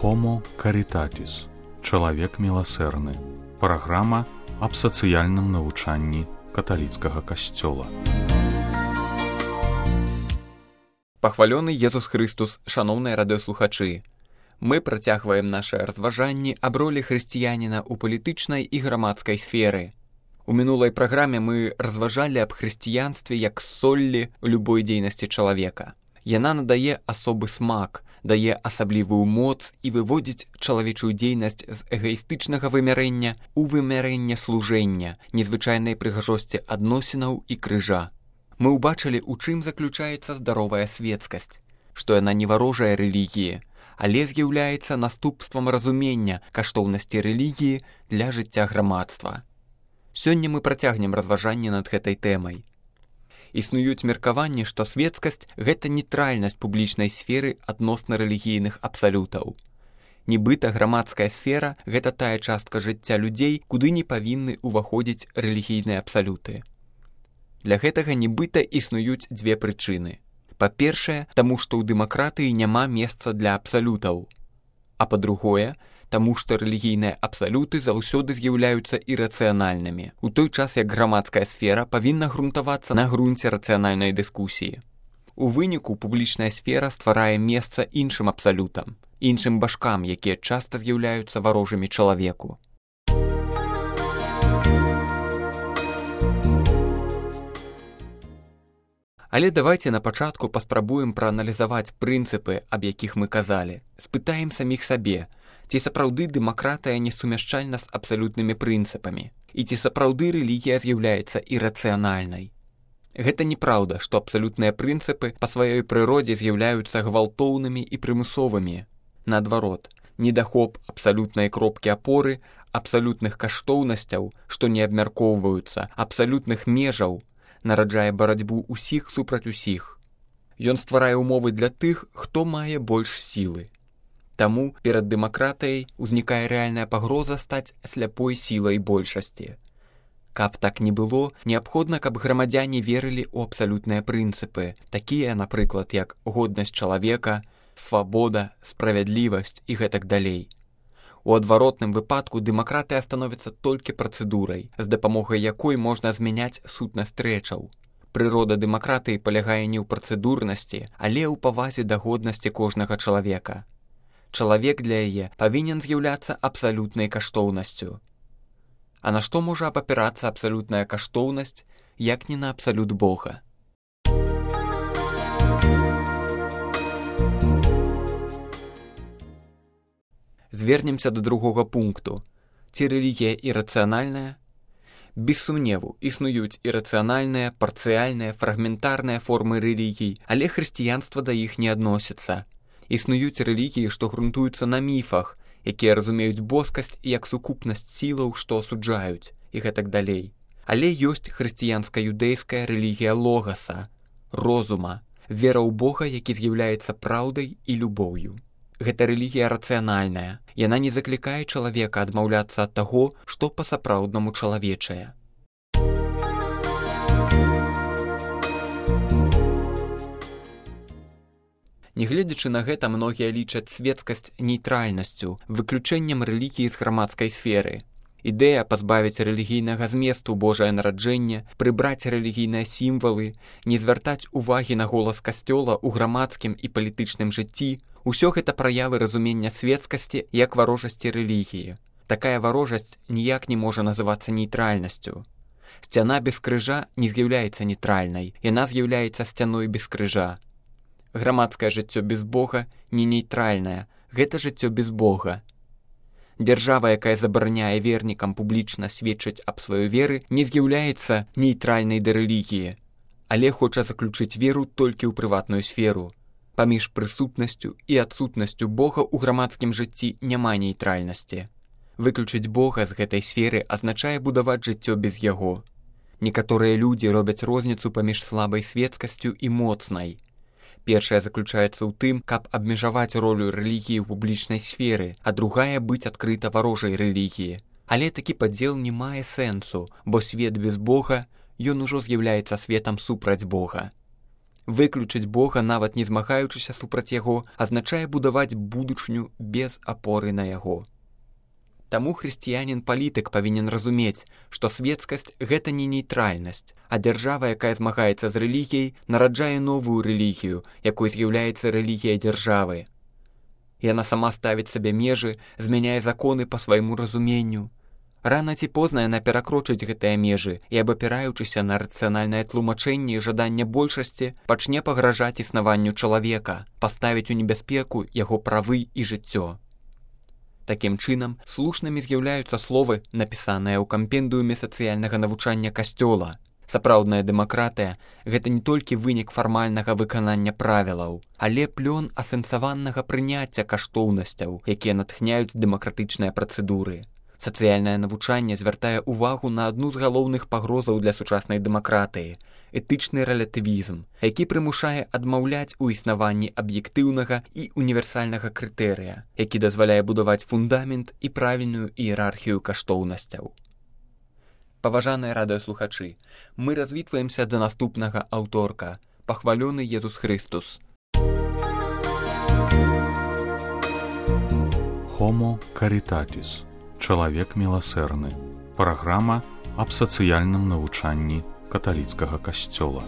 Homo Caritatis. Чалавек міласэрны. Праграма аб сацыяльным навучанні каталіцкага касцёла. Пахвалёны Езус Христус, шаноўныя радыёслухачы. Мы працягваем нашы разважанні аб ролі хрысціяніна ў палітычнай і грамадскай сферы. У мінулай праграме мы разважалі аб хрысціянстве як соллі ў любой дзейнасці чалавека. Яна надае асобы смак, дае асаблівую моц і выводзіць чалавечую дзейнасць з эгаістычнага вымярэння ў вымярэнне служэння, незвычайнай прыгажосці адносінаў і крыжа. Мы ўбачылі, у чым заключаецца здаровая светскасць, што яна не варожая рэлігіі, але з'яўляецца наступствам разумення каштоўнасці рэлігіі для жыцця грамадства. Сёння мы працягнем разважанне над гэтай тэмай. Існуюць меркаванні, што светскасць – гэта нейтральнасць публічнай сферы адносна рэлігійных абсалютаў. Нібыта грамадская сфера – гэта тая частка жыцця людзей, куды не павінны ўваходзіць рэлігійныя абсалюты. Для гэтага нібыта існуюць дзве прычыны. Па-першае, таму што ў дэмакратыі няма месца для абсалютаў. А па-другое, таму што рэлігійныя абсалюты заўсёды з'яўляюцца ірацыянальнымі, у той час як грамадская сфера павінна грунтавацца на грунце рацыянальнай дыскусіі. У выніку публічная сфера стварае месца іншым абсалютам, іншым башкам, якія часта з'яўляюцца варожымі чалавеку. Але давайце на пачатку паспрабуем прааналізаваць прынцыпы, аб якіх мы казалі. Спытаем саміх сабе, ці сапраўды дэмакратыя не сумяшчальна з абсалютнымі прынцыпамі, і ці сапраўды рэлігія з'яўляецца ірацыянальнай. Гэта неправда, што абсалютныя прынцыпы па сваёй прыродзе з'яўляюцца гвалтоўнымі і прымусовымі. Наадварот, недахоп абсалютнай кропкі апоры, абсалютных каштоўнасцяў, што не абмяркоўваюцца, абсалютных межаў, нараджае барацьбу ўсіх супраць усіх. Ён стварае ўмовы для тых, хто мае больш сілы. Таму перад дэмакратыяй узнікае рэальная пагроза стаць сляпой сілай большасці. Каб так не было, неабходна, каб грамадзяне верылі ў абсалютныя прынцыпы, такія, напрыклад, як годнасць чалавека, свабода, справядлівасць і гэтак далей. У адваротным выпадку дэмакратыя становіцца толькі працэдурай, з дапамогай якой можна змяняць сутнасць рэчаў. Прырода дэмакратыі палягае не ў працэдурнасці, але ў павазе да годнасці кожнага чалавека. Чалавек для яе павінен з'яўляцца абсалютнай каштоўнасцю. А на што можа абапірацца абсалютная каштоўнасць, як не на абсалют Бога? Звернемся да другога пункту. Ці рэлігія ірацыянальная? Без сумневу, існуюць ірацыянальныя, парцыяльныя, фрагментарныя формы рэлігій, але хрысціянства да іх не адносіцца. Існуюць рэлігіі, што грунтуюцца на міфах, якія разумеюць боскасць як сукупнасць сілаў, што асуджаюць, і гэтак далей. Але ёсць хрысціянска-юдэйская рэлігія логаса, розума, вера ў Бога, які з'яўляецца праўдай і любоўю. Гэта рэлігія рацыянальная. Яна не заклікае чалавека адмаўляцца ад таго, што па-сапраўднаму чалавечае. Нягледзячы на гэта, многія лічаць светскасць нейтральнасцю, выключэннем рэлігіі з грамадскай сферы. Ідэя пазбавіць рэлігійнага зместу Божае нараджэнне, прыбраць рэлігійныя сімвалы, не звяртаць увагі на голас касцёла ў грамадскім і палітычным жыцці – усё гэта праявы разумення светскасці як варожасці рэлігіі. Такая варожасць ніяк не можа называцца нейтральнасцю. Сцяна без крыжа не з'яўляецца нейтральнай, яна з'яўляецца сцяной без крыжа. Грамадскае жыццё без Бога не нейтральнае, гэта жыццё без Бога. Дзяржава, якая забараняе вернікам публічна сведчыць аб сваёй веры, не з'яўляецца нейтральнай да рэлігіі, але хоча заключыць веру толькі ў прыватную сферу. Паміж прысутнасцю і адсутнасцю Бога ў грамадскім жыцці няма нейтральнасці. Выключыць Бога з гэтай сферы азначае будаваць жыццё без яго. Некаторыя людзі робяць розніцу паміж слабай светскасцю і моцнай. Першая заключаецца ў тым, каб абмежаваць ролю рэлігіі ў публічнай сферы, а другая быць адкрыта варожай рэлігіі. Але такі падзел не мае сэнсу, бо свет без Бога, ён ужо з'яўляецца светам супраць Бога. Выключыць Бога, нават не змагаючыся супраць яго, азначае будаваць будучыню без апоры на яго. Таму хрысціянін-палітык павінен разумець, што светскасць – гэта не нейтральнасць, а дзяржава, якая змагаецца з рэлігіяй, нараджае новую рэлігію, якой з'яўляецца рэлігія дзяржавы. Яна сама ставіць сабе межы, змяняе законы па свайму разуменню. Рана ці позна яна перакрочыць гэтыя межы і, абапіраючыся на рацыянальнае тлумачэнне і жаданне большасці, пачне пагражаць існаванню чалавека, паставіць у небяспеку яго правы і жыццё. Такім чынам, слушнымі з'яўляюцца словы, напісаныя ў кампендыуме сацыяльнага навучання Касцёла. Сапраўдная дэмакратыя – гэта не толькі вынік фармальнага выканання правілаў, але плён асэнсаванага прыняцця каштоўнасцяў, якія натхняюць дэмакратычныя працэдуры. Сацыяльнае навучанне звяртае ўвагу на адну з галоўных пагрозаў для сучаснай дэмакратыі – этычны рэлятывізм, які прымушае адмаўляць у існаванні аб'ектыўнага і універсальнага крытэрыя, які дазваляе будаваць фундамент і правільную іерархію каштоўнасцяў. Паважаныя радыёслухачы, мы развітваемся да наступнага аўторка. Пахвалёны Езус Хрыстус. Homo Caritatis. Чалавек міласэрны. Праграма аб сацыяльным навучанні каталіцкага касцёла.